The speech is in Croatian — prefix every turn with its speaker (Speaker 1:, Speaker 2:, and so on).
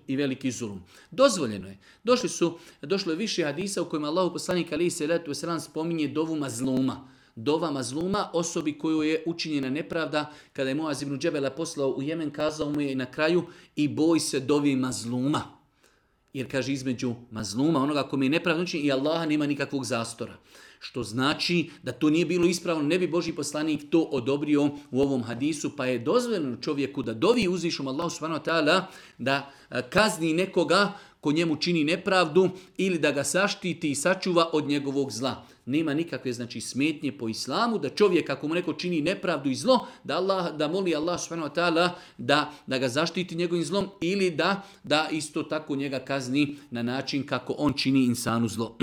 Speaker 1: i veliki zulum. Dozvoljeno je. Došlo je više hadisa u kojima Allahu poslanik alejhi selatu vesselam spominje dovu mazluma. Dova mazluma, osobi koju je učinjena nepravda, kada je Muaz ibn Džebela poslao u Jemen, kazao mu je na kraju i boj se dovi mazluma. Jer kaže između mazluma, onoga kome je nepravda učinjen, i Allaha nema nikakvog zastora. Što znači da to nije bilo ispravno, ne bi Božji poslanik to odobrio u ovom hadisu, pa je dozvoljeno čovjeku da dovi uzvišom Allahu subhanahu wa ta'ala da kazni nekoga ko njemu čini nepravdu ili da ga saštiti i sačuva od njegovog zla. Nema nikakve smetnje po islamu da čovjek ako mu neko čini nepravdu i zlo, da moli Allah subhanahu wa ta'ala da ga zaštiti njegovim zlom ili da isto tako njega kazni na način kako on čini insanu zlo.